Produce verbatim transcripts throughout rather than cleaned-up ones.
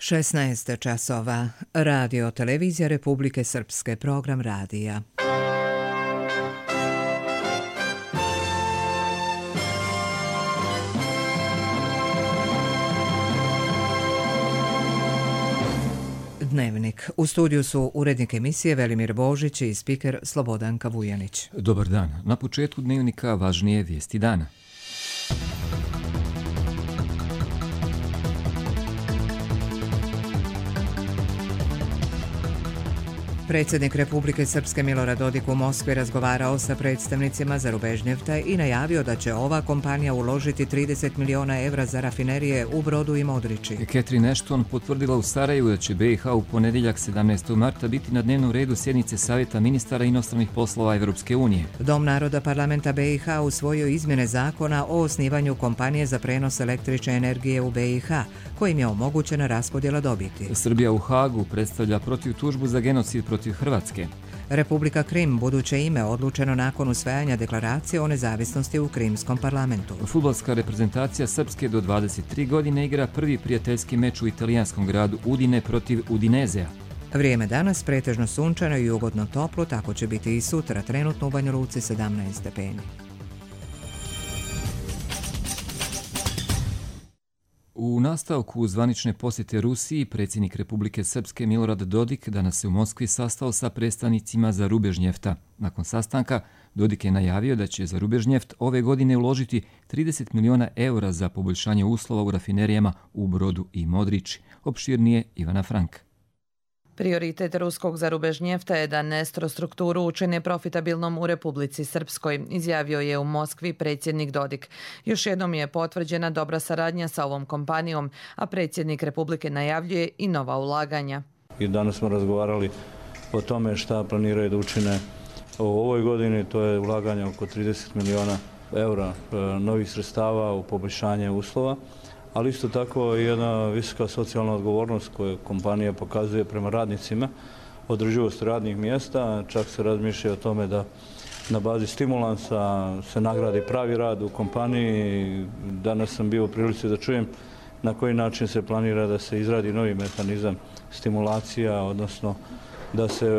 šesnaest časova. Radio Televizija Republike Srpske, program radija. Dnevnik. U studiju su urednik emisije Velimir Božić i spiker Slobodanka Vujanić. Dobar dan. Na početku dnevnika važnije vijesti dana. Predsjednik Republike Srpske Milorad Dodik u Moskvi razgovarao sa predstavnicima Zarubežnjefta i najavio da će ova kompanija uložiti trideset miliona evra za rafinerije u Brodu i Modriči. Catherine Ashton potvrdila u Sarajevu da će B i H u ponedjeljak sedamnaestog marta biti na dnevnom redu sjednice Savjeta ministara inostranih poslova Evropske unije. Dom naroda parlamenta B i H usvojio izmjene zakona o osnivanju kompanije za prenos električne energije u B i H, kojim je omogućena raspodjela dobiti. Srbija u Hagu predstavlja protiv tužbu za genocid protiv Hrvatske. Republika Krim, buduće ime, odlučeno nakon usvajanja deklaracije o nezavisnosti u Krimskom parlamentu. Fudbalska reprezentacija Srpske do dvadeset tri godine igra prvi prijateljski meč u italijanskom gradu Udine protiv Udinezea. Vrijeme danas pretežno sunčano i ugodno toplo, tako će biti i sutra, trenutno u Banja Luci sedamnaest stepeni. U nastavku zvanične posjete Rusiji, predsjednik Republike Srpske Milorad Dodik danas se u Moskvi sastao sa predstavnicima Zarubežnjefta. Nakon sastanka, Dodik je najavio da će Zarubežnjeft ove godine uložiti trideset miliona eura za poboljšanje uslova u rafinerijama u Brodu i Modriči. Opširnije Ivana Frank. Prioritet ruskog Zarubežnjefta je da nestrostrukturu učine profitabilnom u Republici Srpskoj, izjavio je u Moskvi predsjednik Dodik. Još jednom je potvrđena dobra saradnja sa ovom kompanijom, a predsjednik Republike najavljuje i nova ulaganja. I danas smo razgovarali o tome šta planiraju da učine u ovoj godini, to je ulaganje oko trideset miliona eura novih sredstava u poboljšanje uslova, ali isto tako i jedna visoka socijalna odgovornost koju kompanija pokazuje prema radnicima, održivost radnih mjesta, čak se razmišlja o tome da na bazi stimulansa se nagradi pravi rad u kompaniji. Danas sam bio u prilici da čujem na koji način se planira da se izradi novi mehanizam stimulacija, odnosno da se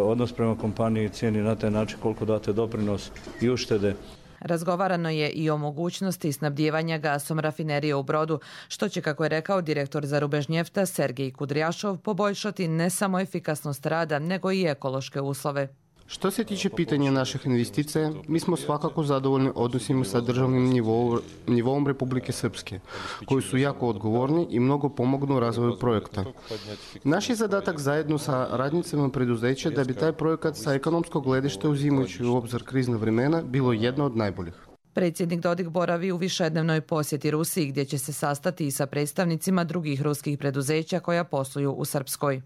odnos prema kompaniji cijeni na taj način koliko date doprinos i uštede. Razgovarano je i o mogućnosti snabdijevanja gasom rafinerije u Brodu, što će, kako je rekao direktor Zarubežnjefta Sergej Kudrjašov, poboljšati ne samo efikasnost rada, nego i ekološke uslove. Što se tiče pitanja naših investicija, mi smo svakako zadovoljni odnosima sa državnim nivom, nivom Republike Srpske, koji su jako odgovorni i mnogo pomognu u razvoju projekta. Naš je zadatak zajedno sa radnicima preduzeća da bi taj projekat sa ekonomskog gledišta, uzimajući u obzir krizna vremena, bilo jedno od najboljih. Predsjednik Dodik boravi u višednevnoj posjeti Rusiji, gdje će se sastati i sa predstavnicima drugih ruskih preduzeća koja posluju u Srpskoj.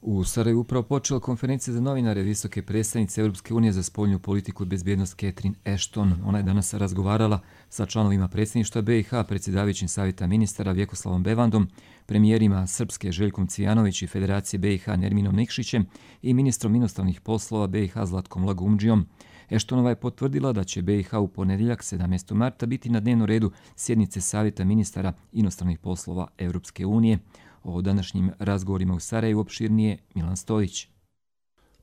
U Sarajevu upravo počela konferencija za novinare visoke predstavnice Europske unije za spoljnu politiku i bezbjednost Catherine Ashton. Ona je danas razgovarala sa članovima predsjedništva B i H, predsjedavajućim savjeta ministara Vjekoslavom Bevandom, premijerima Srpske Željkom Cvijanović i Federacije B i H Nerminom Nikšićem i ministrom inostranih poslova B i H Zlatkom Lagumdžijom. Ashtonova je potvrdila da će B i H u ponedjeljak sedamnaestog marta biti na dnevnom redu sjednice savjeta ministara inostranih poslova Europske unije. O današnjim razgovorima u Sarajevu opširnije Milan Stojić.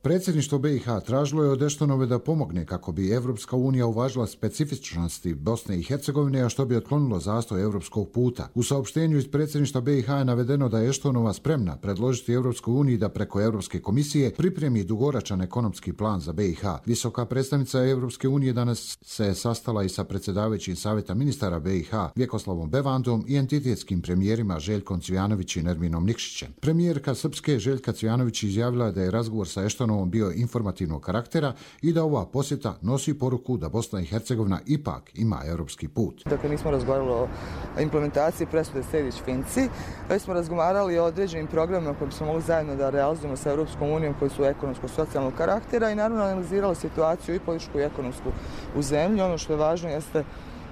Predsjedništvo B i H tražilo je od Ashtonove da pomogne kako bi Evropska unija uvažila specifičnosti Bosne i Hercegovine, a što bi otklonilo zastoj europskog puta. U saopštenju iz predsjedništva B i H je navedeno da je Ashtonova spremna predložiti Evropskoj uniji da preko Europske komisije pripremi dugoročan ekonomski plan za B i H. Visoka predstavnica Evropske unije danas se sastala i sa predsjedavajućim savjeta ministara B i H Vjekoslavom Bevandom i entitetskim premijerima Željkom Cvijanović i Nerminom Nikšićem. Premijerka Srpske Željka Cvijanović izjavila da je razgovor sa Ashtonom bio informativnog karaktera i da ova posjeta nosi poruku da Bosna i Hercegovina ipak ima europski put. Dakle, nismo razgovarali o implementaciji presude Sejdić-Finci, već smo razgovarali o određenim programima koje smo mogli zajedno da realizujemo sa Europskom unijom koji su ekonomsko-socijalnog karaktera i naravno analizirali situaciju i političku i ekonomsku u zemlji. Ono što je važno jeste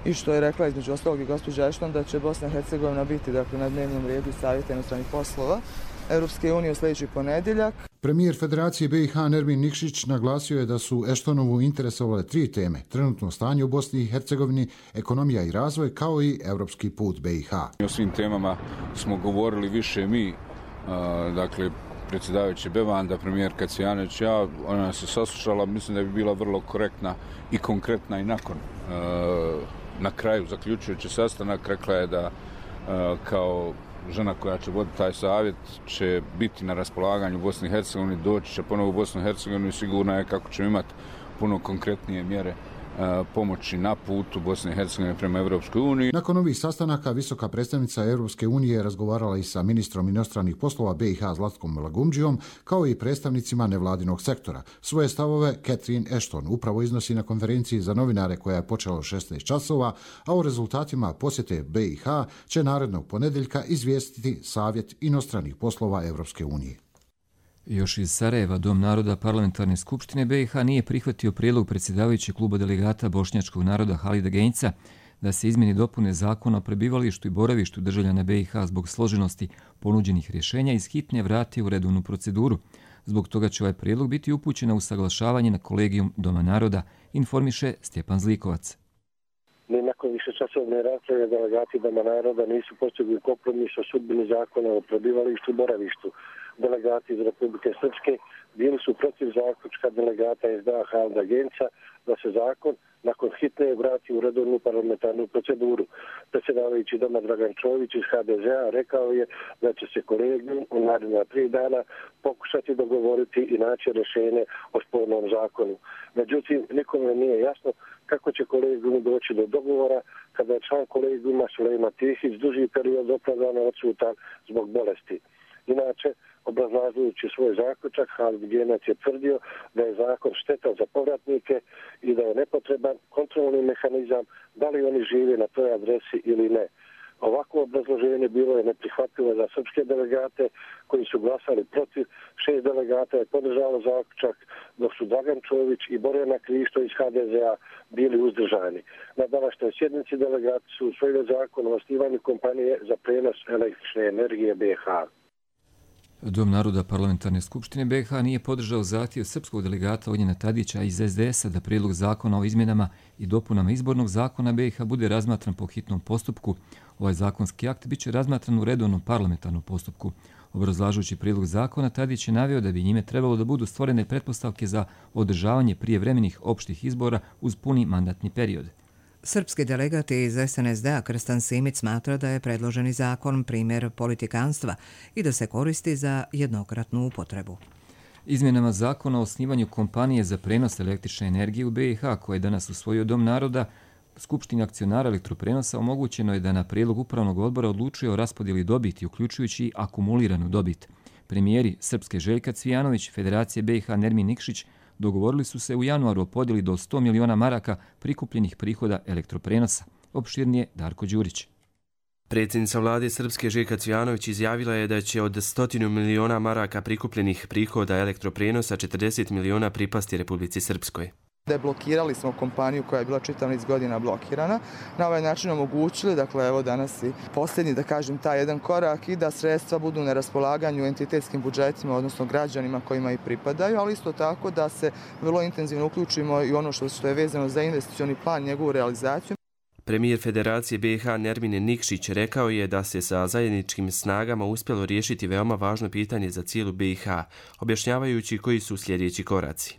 i što je rekla između ostalog i gospođa Ashton da će Bosna i Hercegovina biti dakle, na dnevnom redu Savjeta inostranih poslova Europske unije u sljedeći ponedjeljak. Premijer Federacije B i H Nermin Nikšić naglasio je da su Eštonovu interesovale tri teme: trenutno stanje u Bosni i Hercegovini, ekonomija i razvoj, kao i europski put B i H. O svim temama smo govorili više mi, dakle predsjedavajući Bevanda, premijerka Cvijanović, ja, ona nas je saslušala, mislim da bi bila vrlo korektna i konkretna i nakon. Na kraju, zaključujući sastanak, rekla je da kao žena koja će voditi taj savjet će biti na raspolaganju u Bosni i Hercegovini, doći će ponovo u Bosnu i Hercegovinu i sigurno je kako ćemo imati puno konkretnije mjere pomoći na putu Bosne i Hercegovine prema Europskoj uniji. Nakon ovih sastanaka visoka predstavnica Europske unije razgovarala i sa ministrom inostranih poslova B i H Zlatkom Lagumdžijom, kao i predstavnicima nevladinog sektora. Svoje stavove Catherine Ashton upravo iznosi na konferenciji za novinare koja je počela u šesnaest časova, a o rezultatima posjete B i H će narednog ponedjeljka izvijestiti Savjet inostranih poslova Europske unije. Još iz Sarajeva Dom naroda Parlamentarne skupštine B i H nije prihvatio prijedlog predsjedavajućeg kluba delegata bošnjačkog naroda Halida Genjca da se izmjeni dopune zakona o prebivalištu i boravištu državljana B i H zbog složenosti ponuđenih rješenja iz hitne vrati u redovnu proceduru. Zbog toga će ovaj prijedlog biti upućen na usaglašavanje na kolegijum Doma naroda, informiše Stjepan Zlikovac. Ni nakon višečasovne rasprave delegati Doma naroda nisu postigli kompromis o sudbini zakona o prebivalištu i boravištu. Delegati iz Republike Srpske bili su protiv zaključka delegata S D A Halida Genjca da se zakon nakon hitne vrati u redovnu parlamentarnu proceduru. Predsjedavajući Doma Dragan Čović iz H D Z A rekao je da će se kolegijum u naredna tri dana pokušati dogovoriti i naći rješenje o spornom zakonu. Međutim, nikome nije jasno kako će kolegijum doći do dogovora kada je član kolegijuma Sulejman Tihić duži period opravdano odsutan zbog bolesti. Inače, obrazlažujući svoj zaključak, Halid Genjac je tvrdio da je zakon štetan za povratnike i da je nepotreban kontrolni mehanizam da li oni žive na toj adresi ili ne. Ovako obrazloženje bilo je neprihvatljivo za srpske delegate koji su glasali protiv. Šest delegata je podržalo zaključak, dok su Dragan Čović i Borjana Krišto iz H D Z A bili uzdržani. Na današnjoj sjednici delegati su usvojili zakon o osnivanju kompanije za prenos električne energije B i H. Dom naroda Parlamentarne skupštine B i H nije podržao zahtjev srpskog delegata Ognjena Tadića iz S D S-a da prijedlog zakona o izmjenama i dopunama izbornog zakona B i H bude razmatran po hitnom postupku. Ovaj zakonski akt biće razmatran u redovnom parlamentarnom postupku. Obrazlažući prijedlog zakona, Tadić je naveo da bi njime trebalo da budu stvorene pretpostavke za održavanje prijevremenih opštih izbora uz puni mandatni period. Srpski delegat iz S N S D-a Krstan Simić smatra da je predloženi zakon primjer politikanstva i da se koristi za jednokratnu upotrebu. Izmjenama zakona o osnivanju kompanije za prenos električne energije u B i H, koje je danas usvojio Dom naroda, Skupštini akcionara elektroprenosa omogućeno je da na prijedlog upravnog odbora odlučuje o raspodjeli dobiti, uključujući i akumuliranu dobit. Premijeri Srpske Željka Cvijanović, Federacije B i H Nermin Nikšić dogovorili su se u januaru o podjeli do sto miliona maraka prikupljenih prihoda elektroprenosa. Opširnije Darko Đurić. Predsjednica vlade Srpske Željka Cvijanović izjavila je da će od stotinu miliona maraka prikupljenih prihoda elektroprenosa četrdeset miliona pripasti Republici Srpskoj. Deblokirali smo kompaniju koja je bila čitav niz godina blokirana. Na ovaj način omogućili, dakle evo danas i posljednji, da kažem, taj jedan korak i da sredstva budu na raspolaganju entitetskim budžetima, odnosno građanima kojima i pripadaju, ali isto tako da se vrlo intenzivno uključimo i ono što je vezano za investicioni plan, njegovu realizaciju. Premijer Federacije B i H Nermin Nikšić rekao je da se sa zajedničkim snagama uspjelo riješiti veoma važno pitanje za cijelu B i H, objašnjavajući koji su sljedeći koraci.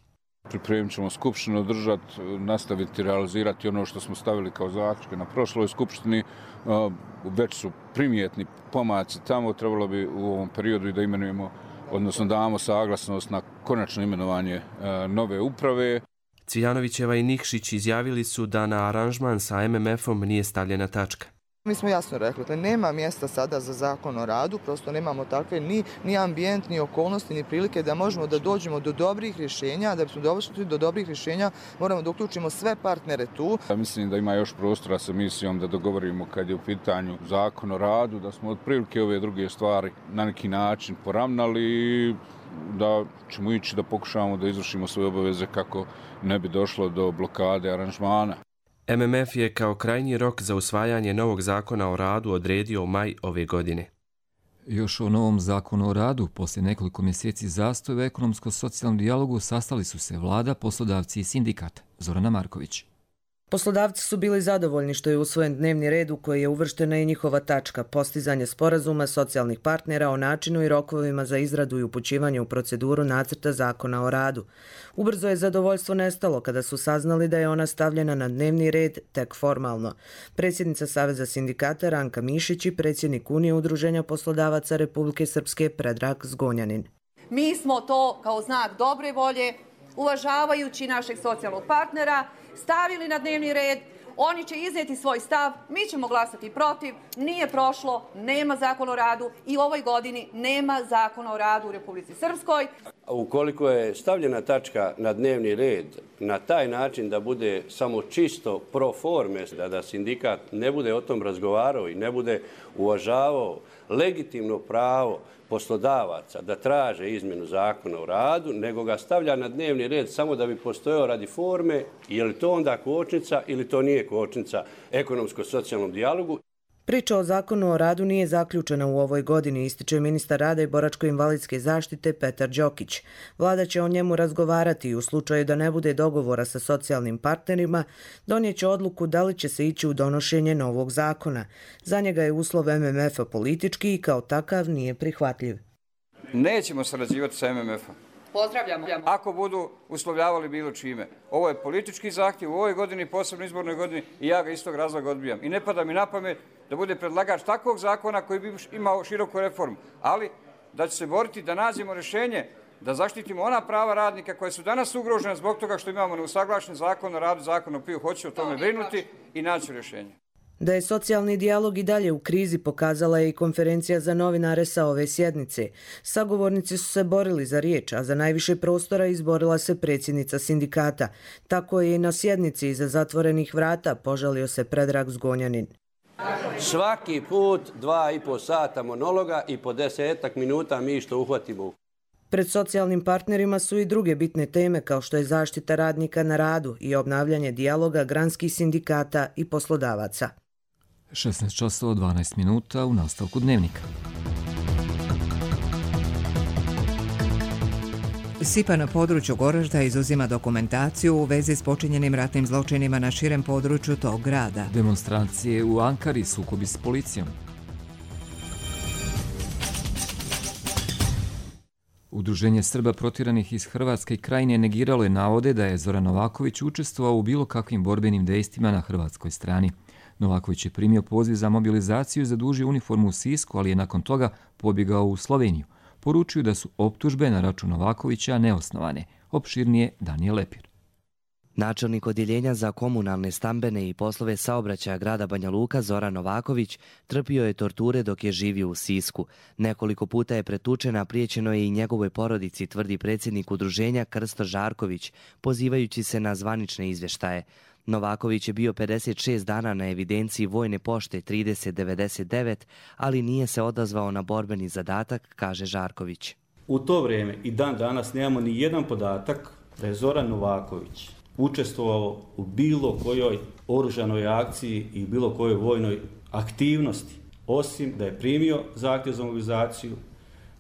Pripremit ćemo skupštinu održati, nastaviti realizirati ono što smo stavili kao zaključke na prošloj skupštini. Već su primjetni pomaci tamo, trebalo bi u ovom periodu i da imenujemo, odnosno damo saglasnost na konačno imenovanje nove uprave. Cvijanovićeva i Nikšić izjavili su da na aranžman sa M M F-om nije stavljena tačka. Mi smo jasno rekli, da nema mjesta sada za zakon o radu, prosto nemamo takve ni, ni ambijent, ni okolnosti, ni prilike da možemo da dođemo do dobrih rješenja. Da bismo došli do dobrih rješenja moramo da uključimo sve partnere tu. Ja mislim da ima još prostora sa misijom da dogovorimo kad je u pitanju zakon o radu, da smo otprilike ove druge stvari na neki način poravnali, da ćemo ići da pokušamo da izvršimo svoje obaveze kako ne bi došlo do blokade aranžmana. M M F je kao krajnji rok za usvajanje novog zakona o radu odredio u maj ove godine. Još o novom zakonu o radu. Poslije nekoliko mjeseci zastoja u ekonomsko-socijalnom dijalogu sastali su se vlada, poslodavci i sindikat. Zorana Marković. Poslodavci su bili zadovoljni što je usvojen dnevni red u koji je uvrštena i njihova tačka postizanje sporazuma socijalnih partnera o načinu i rokovima za izradu i upućivanje u proceduru nacrta zakona o radu. Ubrzo je zadovoljstvo nestalo kada su saznali da je ona stavljena na dnevni red tek formalno. Predsjednica Saveza sindikata Ranka Mišić i predsjednik Unije udruženja poslodavaca Republike Srpske Predrag Zgonjanin. Mi smo to kao znak dobre volje, uvažavajući našeg socijalnog partnera, stavili na dnevni red, oni će iznijeti svoj stav, mi ćemo glasati protiv, nije prošlo, nema zakona o radu i u ovoj godini nema zakona o radu u Republici Srpskoj. Ukoliko je stavljena tačka na dnevni red na taj način da bude samo čisto pro forme, da, da sindikat ne bude o tom razgovarao i ne bude uvažavao legitimno pravo poslodavaca da traže izmjenu zakona o radu, nego ga stavlja na dnevni red samo da bi postojao radi forme, je li to onda kočnica ili to nije kočnica ekonomsko-socijalnom dijalogu. Priča o zakonu o radu nije zaključena u ovoj godini, ističe ministar rada i boračko-invalidske zaštite Petar Đokić. Vlada će o njemu razgovarati i u slučaju da ne bude dogovora sa socijalnim partnerima, donijet će odluku da li će se ići u donošenje novog zakona. Za njega je uslov em em ef-a politički i kao takav nije prihvatljiv. Nećemo sarađivati sa em em ef-om. Pozdravljamo. Ako budu uslovljavali bilo čime. Ovo je politički zahtjev u ovoj godini, posebno izbornoj godini i ja ga iz tog razloga odbijam. I ne pada mi na pamet da bude predlagač takvog zakona koji bi imao široku reformu, ali da će se boriti da nađemo rješenje, da zaštitimo ona prava radnika koja su danas ugrožena zbog toga što imamo neusaglašen zakon o radu, zakon o piju. Hoću o tome brinuti i naći rješenje. Da je socijalni dijalog i dalje u krizi pokazala je i konferencija za novinare sa ove sjednice. Sagovornici su se borili za riječ, a za najviše prostora izborila se predsjednica sindikata. Tako je i na sjednici iza zatvorenih vrata požalio se Predrag Zgonjanin. Svaki put dva i po sata monologa i po desetak minuta mi što uhvatimo. Pred socijalnim partnerima su i druge bitne teme kao što je zaštita radnika na radu i obnavljanje dijaloga granskih sindikata i poslodavaca. šesnaest časova dvanaest minuta u nastavku dnevnika. S I P A na području Goražda izuzima dokumentaciju u vezi s počinjenim ratnim zločinima na širem području tog grada. Demonstracije u Ankari, sukobi s policijom. Udruženje Srba protjeranih iz Hrvatske i Krajine negiralo je navode da je Zoran Novaković učestvovao u bilo kakvim borbenim dejstvima na hrvatskoj strani. Novaković je primio poziv za mobilizaciju i zadužio uniformu u Sisku, ali je nakon toga pobjegao u Sloveniju. Poručuju da su optužbe na račun Novakovića neosnovane. Opširnije Danijel Lepir. Načelnik odjeljenja za komunalne, stambene i poslove saobraćaja grada Banja Luka Zoran Novaković trpio je torture dok je živio u Sisku. Nekoliko puta je pretučen, a priječeno je i njegovoj porodici, tvrdi predsjednik udruženja Krsto Žarković, pozivajući se na zvanične izvještaje. Novaković je bio pedeset šest dana na evidenciji vojne pošte trideset devedeset devet, ali nije se odazvao na borbeni zadatak, kaže Žarković. U to vrijeme i dan danas nemamo ni jedan podatak da je Zoran Novaković učestvovao u bilo kojoj oružanoj akciji i bilo kojoj vojnoj aktivnosti, osim da je primio zahtjev za mobilizaciju,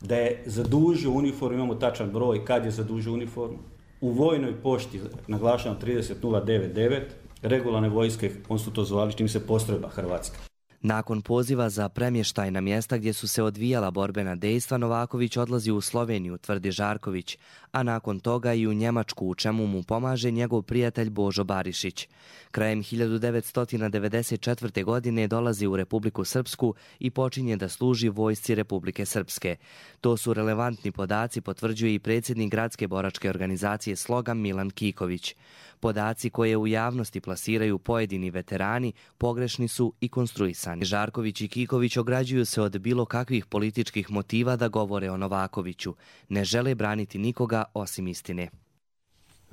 da je zadužio uniformu, imamo tačan broj kad je zadužio uniformu, u vojnoj pošti, naglašavam trideset nula devet devet, regularne vojske, on su to zvali, čim se postrojba Hrvatska. Nakon poziva za premještaj na mjesta gdje su se odvijala borbena dejstva, Novaković odlazi u Sloveniju, tvrdi Žarković, a nakon toga i u Njemačku, u čemu mu pomaže njegov prijatelj Božo Barišić. Krajem hiljadu devetsto devedeset četvrte. godine dolazi u Republiku Srpsku i počinje da služi vojsci Republike Srpske. To su relevantni podaci, potvrđuje i predsjednik gradske boračke organizacije Sloga Milan Kiković. Podaci koje u javnosti plasiraju pojedini veterani pogrešni su i konstruisani. Žarković i Kiković ograđuju se od bilo kakvih političkih motiva da govore o Novakoviću. Ne žele braniti nikoga osim istine.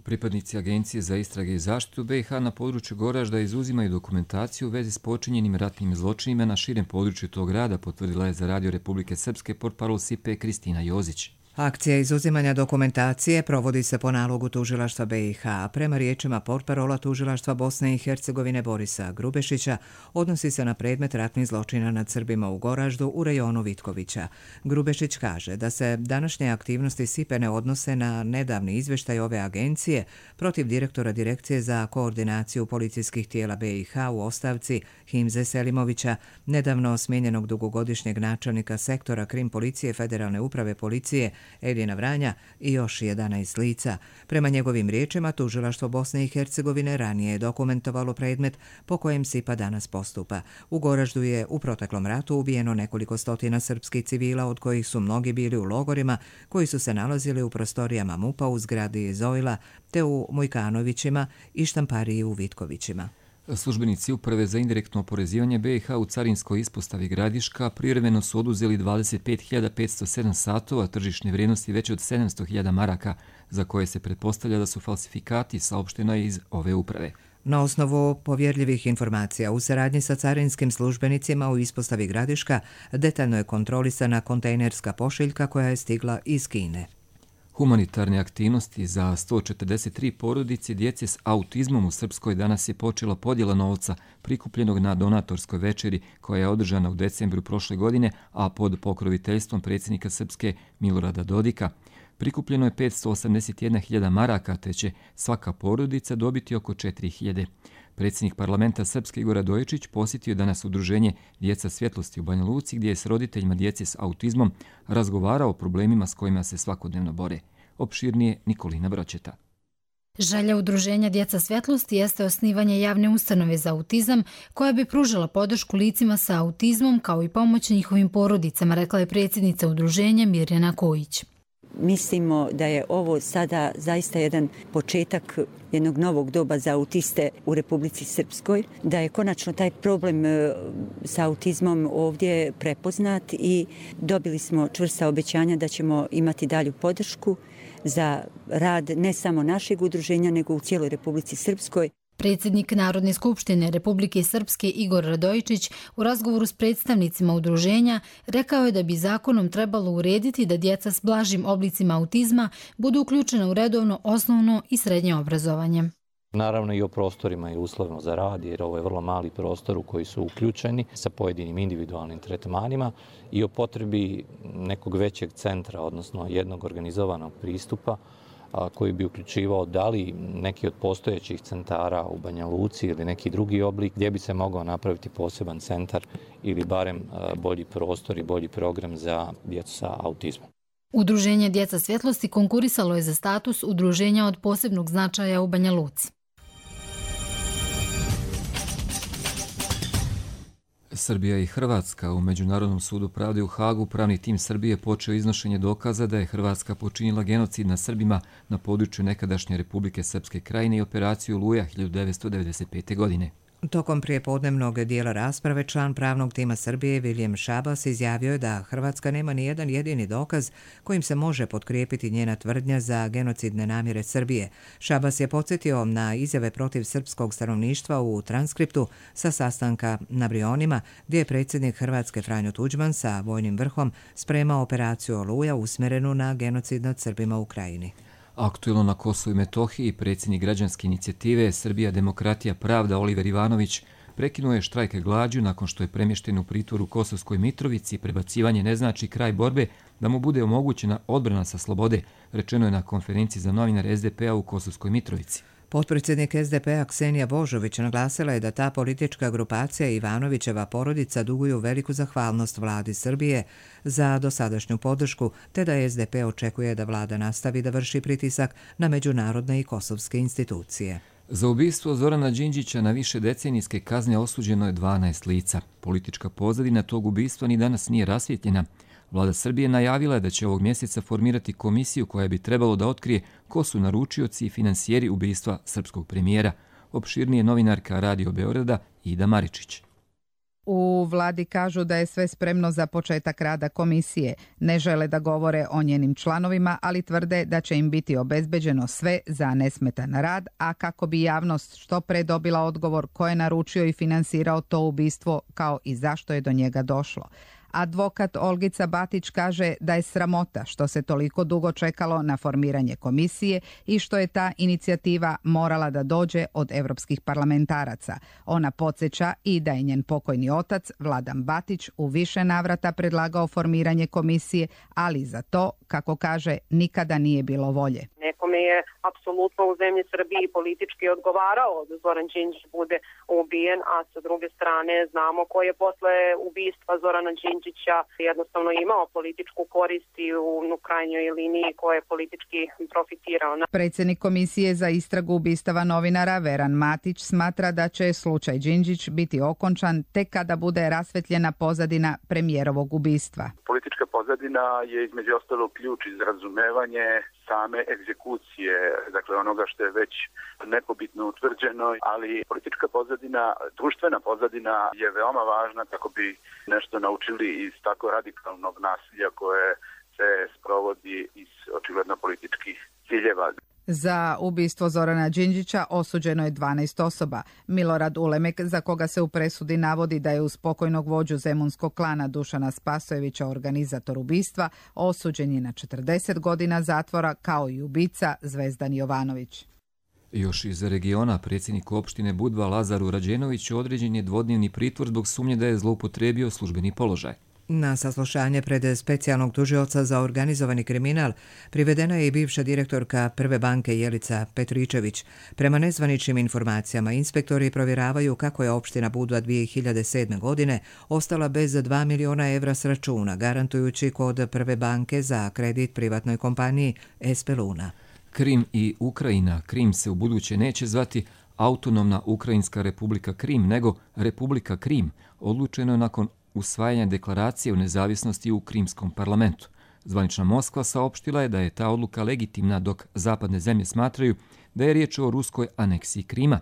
Pripadnici Agencije za istrage i zaštitu B i H na području Goražda izuzimaju dokumentaciju u vezi s počinjenim ratnim zločinima na širem području tog grada, potvrdila je za Radio Republike Srpske portparol S I P E Kristina Jozić. Akcija izuzimanja dokumentacije provodi se po nalogu tužilaštva B i H. Prema riječima portparola tužilaštva Bosne i Hercegovine Borisa Grubešića, odnosi se na predmet ratnih zločina nad Srbima u Goraždu u rejonu Vitkovića. Grubešić kaže da se današnje aktivnosti S I P E ne odnose na nedavni izvještaj ove agencije protiv direktora Direkcije za koordinaciju policijskih tijela B i H u ostavci Himze Selimovića, nedavno smijenjenog dugogodišnjeg načelnika sektora Krim policije Federalne uprave policije Edina Vranja i još jedanaest lica. Prema njegovim riječima, tužilaštvo Bosne i Hercegovine ranije je dokumentovalo predmet po kojem S I P A danas postupa. U Goraždu je u proteklom ratu ubijeno nekoliko stotina srpskih civila, od kojih su mnogi bili u logorima koji su se nalazili u prostorijama M U P-a u zgradi Zojla, te u Mujkanovićima i štampariji u Vitkovićima. Službenici Uprave za indirektno oporezivanje B i H u carinskoj ispostavi Gradiška privremeno su oduzeli dvadeset pet hiljada petsto sedam satova tržišne vrijednosti veće od sedamsto hiljada maraka, za koje se pretpostavlja da su falsifikati, saopšteno je iz ove uprave. Na osnovu povjerljivih informacija u saradnji sa carinskim službenicima u ispostavi Gradiška detaljno je kontrolisana kontejnerska pošiljka koja je stigla iz Kine. Humanitarne aktivnosti za sto četrdeset tri porodice djece s autizmom u Srpskoj danas je počela podjela novca prikupljenog na donatorskoj večeri koja je održana u decembru prošle godine, a pod pokroviteljstvom predsjednika Srpske Milorada Dodika. Prikupljeno je petsto osamdeset jedna hiljada maraka, te će svaka porodica dobiti oko četiri hiljade. Predsjednik parlamenta Srpske Igor Radojičić posjetio je danas udruženje Djeca svjetlosti u Banja Luci, gdje je s roditeljima djece s autizmom razgovarao o problemima s kojima se svakodnevno bore. Opširnije Nikolina Bročeta. Želja udruženja Djeca svjetlosti jeste osnivanje javne ustanove za autizam koja bi pružila podršku licima sa autizmom kao i pomoć njihovim porodicama, rekla je predsjednica udruženja Mirjana Kojić. Mislimo da je ovo sada zaista jedan početak jednog novog doba za autiste u Republici Srpskoj, da je konačno taj problem sa autizmom ovdje prepoznat i dobili smo čvrsta obećanja da ćemo imati dalju podršku za rad ne samo našeg udruženja, nego u cijeloj Republici Srpskoj. Predsjednik Narodne skupštine Republike Srpske Igor Radojičić u razgovoru s predstavnicima udruženja rekao je da bi zakonom trebalo urediti da djeca s blažim oblicima autizma budu uključena u redovno osnovno i srednje obrazovanje. Naravno i o prostorima i uslovno za rad, jer ovo je vrlo mali prostor u koji su uključeni sa pojedinim individualnim tretmanima i o potrebi nekog većeg centra, odnosno jednog organizovanog pristupa koji bi uključivao da li neki od postojećih centara u Banja Luci ili neki drugi oblik gdje bi se mogao napraviti poseban centar ili barem bolji prostor i bolji program za djecu sa autizmom. Udruženje Djeca svjetlosti konkurisalo je za status udruženja od posebnog značaja u Banja Luci. Srbija i Hrvatska u Međunarodnom sudu pravde u Hagu pravni tim Srbije počeo iznošenje dokaza da je Hrvatska počinila genocid nad Srbima na području nekadašnje Republike Srpske Krajine i operaciju Oluja hiljadu devetsto devedeset pete. godine. Tokom prijepodnevnog dijela rasprave član pravnog tima Srbije Viljem Šabas izjavio je da Hrvatska nema ni jedan jedini dokaz kojim se može potkrijepiti njena tvrdnja za genocidne namjere Srbije. Šabas je podsjetio na izjave protiv srpskog stanovništva u transkriptu sa sastanka na Brionima, gdje je predsjednik Hrvatske Franjo Tuđman sa vojnim vrhom spremao operaciju Oluja usmjerenu na genocid nad Srbima u Krajini. Aktuelno na Kosovu i Metohiji predsjednik građanske inicijative Srbija demokratija pravda Oliver Ivanović prekinuo je štrajk glađu nakon što je premješten u pritvor u Kosovskoj Mitrovici. Prebacivanje ne znači kraj borbe, da mu bude omogućena odbrana sa slobode, rečeno je na konferenciji za novinare S D P-a u Kosovskoj Mitrovici. Potpredsjednik S D P-a Ksenija Božović naglasila je da ta politička grupacija i Ivanovićeva porodica duguju veliku zahvalnost vladi Srbije za dosadašnju podršku, te da S D P očekuje da vlada nastavi da vrši pritisak na međunarodne i kosovske institucije. Za ubistvo Zorana Đinđića na više decenijske kazne osuđeno je dvanaest lica. Politička pozadina tog ubistva ni danas nije rasvjetljena. Vlada Srbije najavila je da će ovog mjeseca formirati komisiju koja bi trebalo da otkrije ko su naručioci i finansijeri ubistva srpskog premijera. Opširnije novinarka Radio Beograda Ida Maričić. U vladi kažu da je sve spremno za početak rada komisije. Ne žele da govore o njenim članovima, ali tvrde da će im biti obezbeđeno sve za nesmetan rad, a kako bi javnost što pre dobila odgovor ko je naručio i finansirao to ubistvo, kao i zašto je do njega došlo. Advokat Olgica Batić kaže da je sramota što se toliko dugo čekalo na formiranje komisije i što je ta inicijativa morala da dođe od evropskih parlamentaraca. Ona podsjeća i da je njen pokojni otac Vladan Batić u više navrata predlagao formiranje komisije, ali za to, kako kaže, nikada nije bilo volje. Nekome je apsolutno u zemlji Srbiji politički odgovarao da Zoran Đinđić bude ubijen, a sa druge strane znamo ko je posle ubistva Zorana Đinđića jednostavno imao političku korist i u, u krajnjoj liniji ko je politički profitirao. Predsjednik Komisije za istragu ubistava novinara Veran Matić smatra da će slučaj Đinđić biti okončan tek kada bude rasvetljena pozadina premijerovog ubistva. Politička pozadina je između ostalog ključ iz razumevanje same egzekucije, dakle onoga što je već nepobitno utvrđeno, ali politička pozadina, društvena pozadina je veoma važna kako bi nešto naučili iz tako radikalnog nasilja koje se sprovodi iz očigledno političkih ciljeva. Za ubistvo Zorana Đinđića osuđeno je dvanaest osoba. Milorad Ulemek, za koga se u presudi navodi da je uz pokojnog vođu zemunskog klana Dušana Spasojevića organizator ubistva, osuđen je na četrdeset godina zatvora, kao i ubica Zvezdan Jovanović. Još iz regiona predsjednik opštine Budva Lazaru Rađenoviću određen je dvodnevni pritvor zbog sumnje da je zloupotrijebio službeni položaj. Na saslušanje pred specijalnog tužioca za organizovani kriminal privedena je i bivša direktorka Prve banke Jelica Petričević. Prema nezvaničnim informacijama, inspektori provjeravaju kako je opština Budva dvije hiljade sedme. godine ostala bez dva miliona evra s računa, garantujući kod Prve banke za kredit privatnoj kompaniji Espeluna. Krim i Ukrajina. Krim se u buduće neće zvati Autonomna Ukrajinska republika Krim, nego Republika Krim. Odlučeno je nakon usvajanja deklaracije o nezavisnosti u Krimskom parlamentu. Zvanična Moskva saopštila je da je ta odluka legitimna, dok zapadne zemlje smatraju da je riječ o ruskoj aneksiji Krima.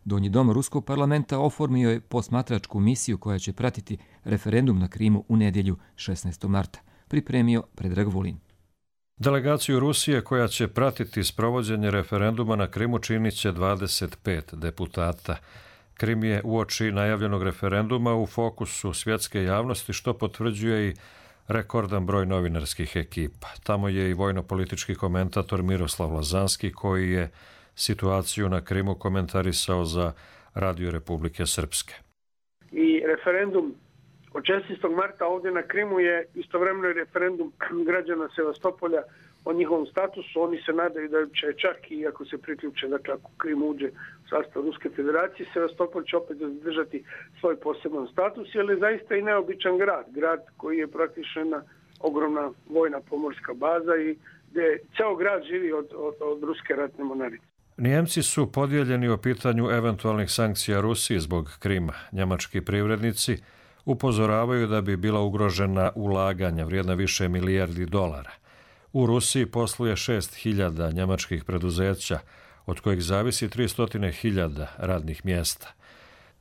Donji dom Ruskog parlamenta oformio je posmatračku misiju koja će pratiti referendum na Krimu u nedjelju šesnaestog marta. Pripremio Predrag Vulin. Delegaciju Rusije koja će pratiti sprovođenje referenduma na Krimu činit će dvadeset pet deputata. Krim je uoči najavljenog referenduma u fokusu svjetske javnosti, što potvrđuje i rekordan broj novinarskih ekipa. Tamo je i vojno-politički komentator Miroslav Lazanski, koji je situaciju na Krimu komentarisao za Radio Republike Srpske. I referendum od šesnaestog marta ovdje na Krimu je istovremeno referendum građana Sevastopolja o njihovom statusu. Oni se nadaju da će čak i ako se priključe, dakle ako Krim uđe u sastav Ruske federacije, Sevastopol će opet zadržati svoj poseban status, jer je zaista i neobičan grad. Grad koji je praktično jedna ogromna vojna pomorska baza i gdje ceo grad živi od, od, od ruske ratne mornarice. Nijemci su podijeljeni o pitanju eventualnih sankcija Rusiji zbog Krima. Njemački privrednici upozoravaju da bi bila ugrožena ulaganja vrijedna više milijardi dolara. U Rusiji posluje šest hiljada njemačkih preduzeća, od kojih zavisi tristo hiljada radnih mjesta.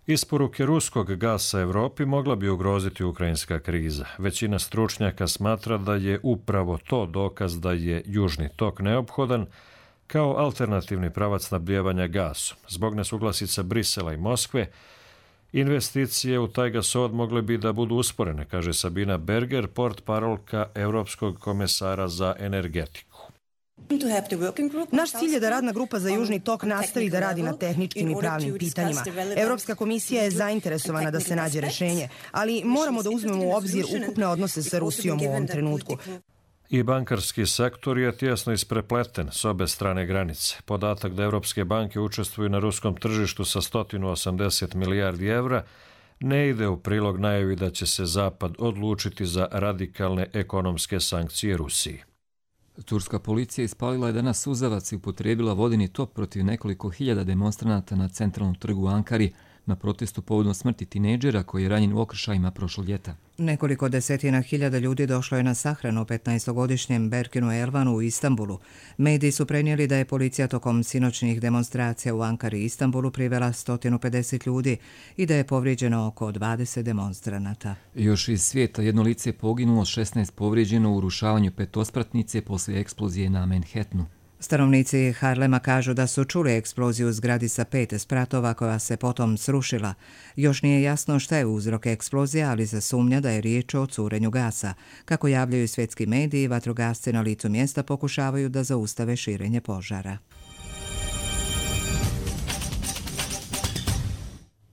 Isporuke ruskog gasa Evropi mogla bi ugroziti ukrajinska kriza. Većina stručnjaka smatra da je upravo to dokaz da je južni tok neophodan kao alternativni pravac snabdijevanja gasom. Zbog nesuglasica Brisela i Moskve, investicije u taj gasovod mogle bi da budu usporene, kaže Sabina Berger, portparolka Europskog komesara za energetiku. Naš cilj je da radna grupa za Južni tok nastavi da radi na tehničkim i pravnim pitanjima. Europska komisija je zainteresovana da se nađe rješenje, ali moramo da uzmemo u obzir ukupne odnose sa Rusijom u ovom trenutku. I bankarski sektor je tjesno isprepleten s obe strane granice. Podatak da evropske banke učestvuju na ruskom tržištu sa sto osamdeset milijardi evra ne ide u prilog najavi da će se Zapad odlučiti za radikalne ekonomske sankcije Rusiji. Turska policija ispalila je danas suzavac i upotrijebila vodeni top protiv nekoliko hiljada demonstranata na centralnom trgu u Ankari na protestu povodom smrti tinejdžera koji je ranjen u okršajima prošlog ljeta. Nekoliko desetina hiljada ljudi došlo je na sahranu u petnaestogodišnjem Berkinu Elvanu u Istanbulu. Mediji su prenijeli da je policija tokom sinoćnih demonstracija u Ankari i Istanbulu privela sto pedeset ljudi i da je povrijeđeno oko dvadeset demonstranata. Još iz svijeta jedno lice je poginulo, šesnaest povrijeđeno u urušavanju petospratnice poslije eksplozije na Manhattanu. Stanovnici Harlema kažu da su čuli eksploziju u zgradi sa pet spratova koja se potom srušila. Još nije jasno šta je uzrok eksplozije, ali se sumnja da je riječ o curenju gasa. Kako javljaju svjetski mediji, vatrogasci na licu mjesta pokušavaju da zaustave širenje požara.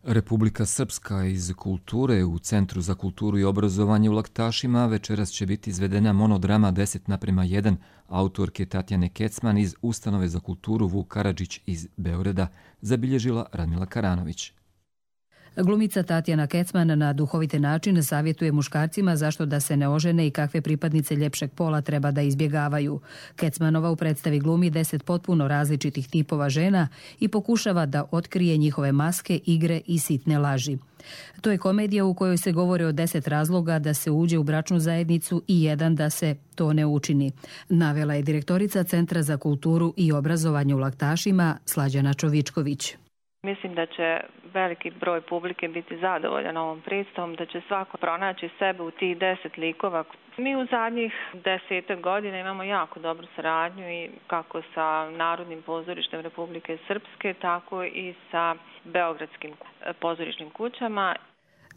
Republika Srpska iz kulture u Centru za kulturu i obrazovanje u Laktašima večeras će biti izvedena monodrama deset naprema jedan autorke Tatjane Kecman iz Ustanove za kulturu Vuk Karadžić iz Beograda, zabilježila Radmila Karanović. Glumica Tatjana Kecman na duhovite način savjetuje muškarcima zašto da se ne ožene i kakve pripadnice ljepšeg pola treba da izbjegavaju. Kecmanova u predstavi glumi deset potpuno različitih tipova žena i pokušava da otkrije njihove maske, igre i sitne laži. To je komedija u kojoj se govori o deset razloga da se uđe u bračnu zajednicu i jedan da se to ne učini. Navela je direktorica Centra za kulturu i obrazovanje u Laktašima Slađana Čovičković. Mislim da će veliki broj publike biti zadovoljan ovom predstavom, da će svako pronaći sebe u tih deset likova. Mi u zadnjih desetak godina imamo jako dobru saradnju i kako sa Narodnim pozorištem Republike Srpske, tako i sa beogradskim pozorišnim kućama.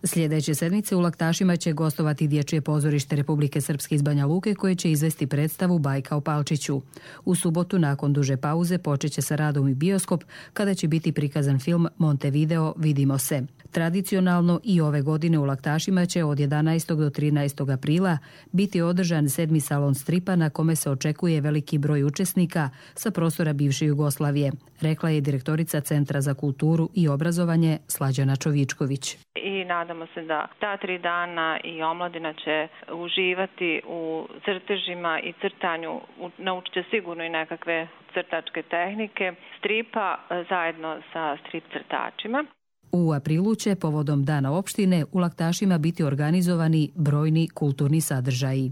Sljedeće sedmice u Laktašima će gostovati Dječje pozorište Republike Srpske iz Banja Luke koje će izvesti predstavu Bajka o Palčiću. U subotu nakon duže pauze počeće sa radom i bioskop kada će biti prikazan film Montevideo Vidimo se. Tradicionalno i ove godine u Laktašima će od jedanaestog do trinaestog aprila biti održan sedmi salon stripa na kome se očekuje veliki broj učesnika sa prostora bivše Jugoslavije, rekla je direktorica Centra za kulturu i obrazovanje Slađana Čovičković. I nadamo se da ta tri dana i omladina će uživati u crtežima i crtanju, naučit će sigurno i nekakve crtačke tehnike stripa zajedno sa strip crtačima. U aprilu će povodom Dana opštine u Laktašima biti organizovani brojni kulturni sadržaji.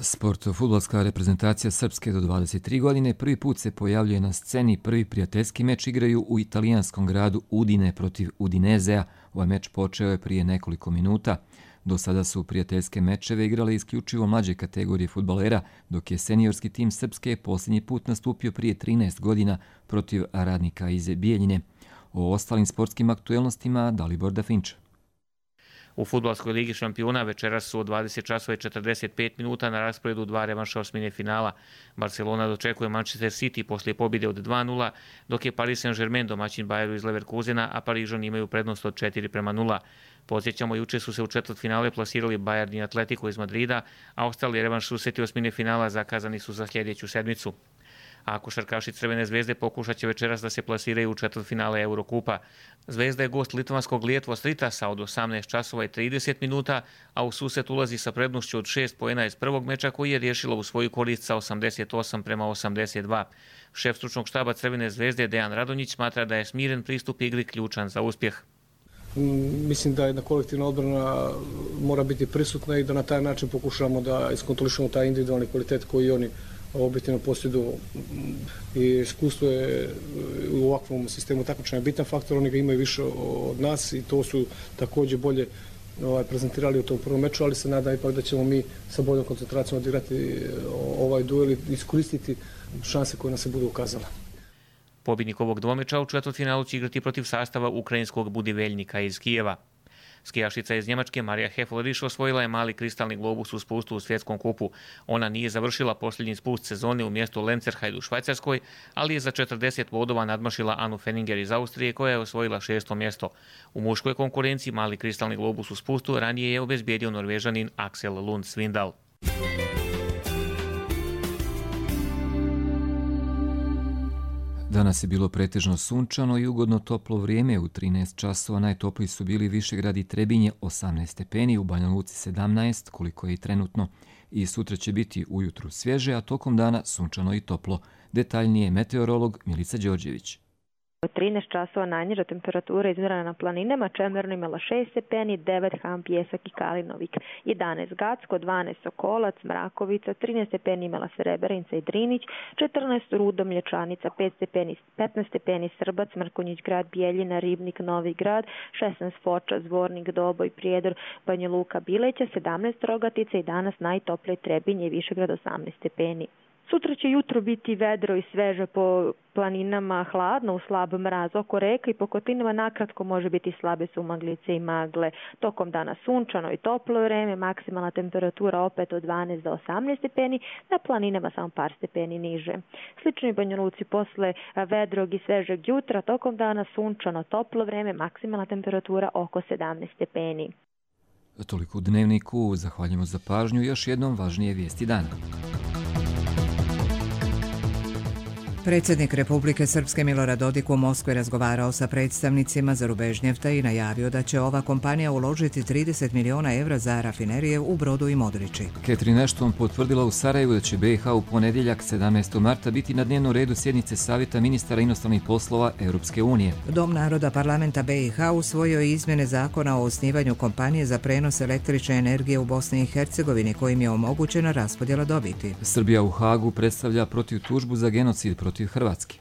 Sport. Fudbalska reprezentacija Srpske do dvadeset tri godine prvi put se pojavljuje na sceni. Prvi prijateljski meč igraju u italijanskom gradu Udine protiv Udinezea. Ovaj meč počeo je prije nekoliko minuta. Do sada su prijateljske mečeve igrale isključivo mlađe kategorije fudbalera, dok je seniorski tim Srpske posljednji put nastupio prije trinaest godina protiv Radnika iz Bijeljine. O ostalim sportskim aktuelnostima Dalibor Dafinč. U Fudbalskoj ligi šampiona večeras su od dvadeset časova i četrdeset pet minuta na rasporedu dva revanša osmine finala. Barcelona dočekuje Manchester City poslije pobjede od dva nula, dok je Paris Saint-Germain domaćin Bayeru iz Leverkusena, a Parižani imaju prednost od četiri prema nula. Podsjećamo, juče su se u četvrtfinale plasirali Bayern i Atletico iz Madrida, a ostali revanš susreti osmine finala zakazani su za sljedeću sedmicu. A košarkaši Crvene zvezde pokušat će večeras da se plasiraju u četvrtfinale Eurokupa. Zvezda je gost litvanskog Lietvo Stritasa od osamnaest časova i trideset minuta, a u susret ulazi sa prednošću od šest poena iz prvog meča koji je riješila u svoju korist sa osamdeset osam prema osamdeset dva. Šef stručnog štaba Crvene zvezde Dejan Radonjić smatra da je smiren pristup igri ključan za uspjeh. Mislim da jedna kolektivna odbrana mora biti prisutna i da na taj način pokušamo da iskontrolišemo taj individualni kvalitet koji oni objektivno posjeduju. I iskustvo je u ovakvom sistemu takmičenja bitan faktor, oni ga imaju više od nas i to su također bolje ovaj, prezentirali u tom prvom meču, ali se nadam ipak da ćemo mi sa boljom koncentracijom odigrati ovaj duel i iskoristiti šanse koje nam se budu ukazale. Pobjednik ovog dvomeča u četvrtfinalu će igrati protiv sastava ukrajinskog Budiveljnika iz Kijeva. Skijašica iz Njemačke Marija Hefleriš osvojila je mali kristalni globus u spustu u svjetskom kupu. Ona nije završila posljednji spust sezone u mjestu Lenzerheide u Švajcarskoj, ali je za četrdeset bodova nadmašila Anu Fenninger iz Austrije koja je osvojila šesto mjesto. U muškoj konkurenciji mali kristalni globus u spustu ranije je obezbijedio Norvežanin Axel Lund Svindal. Danas je bilo pretežno sunčano i ugodno toplo vrijeme. U trinaest časova najtopliji su bili Višegrad i Trebinje osamnaest stepeni, u Banja Luci sedamnaest, koliko je i trenutno. I sutra će biti ujutru svježe, a tokom dana sunčano i toplo. Detaljnije meteorolog Milica Đorđević. trinaest časova najniža temperatura izmjerena na planinama, Čemerno imala šest stepeni, devet Ham, Pjesak i Kalinovik, jedanaest Gacko, dvanaest Sokolac, Mrakovica, trinaest stepeni imala Srebrenica i Drinić, četrnaest Rudo, Mlječanica, pet stepeni, petnaest stepeni Srbac, Mrkonjić grad, Bijeljina, Ribnik, Novi grad, šesnaest Foča, Zvornik, Doboj, Prijedor, Banja Luka, Bileća, sedamnaest Rogatica i danas najtoplije Trebinje i Višegrad osamnaest stepeni. Sutra će jutro biti vedro i sveže po planinama, hladno u slab mraz oko reka i po kotlinama nakratko može biti slabe sumaglice i magle. Tokom dana sunčano i toplo vreme, maksimalna temperatura opet od dvanaest do osamnaest stepeni, na planinama samo par stepeni niže. Slično i Banja Luci posle vedrog i svežeg jutra, tokom dana sunčano toplo vreme, maksimalna temperatura oko sedamnaest stepeni. Toliko u Dnevniku, zahvaljujemo za pažnju, još jednom važnije vijesti dana. Predsjednik Republike Srpske Milorad Dodik u Moskvi razgovarao sa predstavnicima Zarubežnjefta i najavio da će ova kompanija uložiti trideset miliona evra za rafinerije u Brodu i Modriči. Catherine Ashton potvrdila u Sarajevu da će B i H u ponedjeljak sedamnaestog marta biti na dnevnom redu sjednice Savjeta ministara inostranih poslova Europske unije. Dom naroda parlamenta B i H usvojio je izmjene zakona o osnivanju kompanije za prenos električne energije u Bosni i Hercegovini kojim je omogućena raspodjela dobiti. Srbija u Hagu predstavlja protiv tužbu za genocid protiv Hrvatske.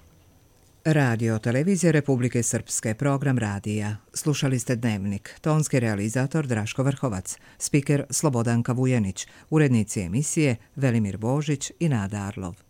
Radio Televizija Republike Srpske, program radija. Slušali ste Dnevnik. Tonski realizator Draško Vrhovac, spiker Slobodanka Vujenić, urednici emisije Velimir Božić i Nada Arlov.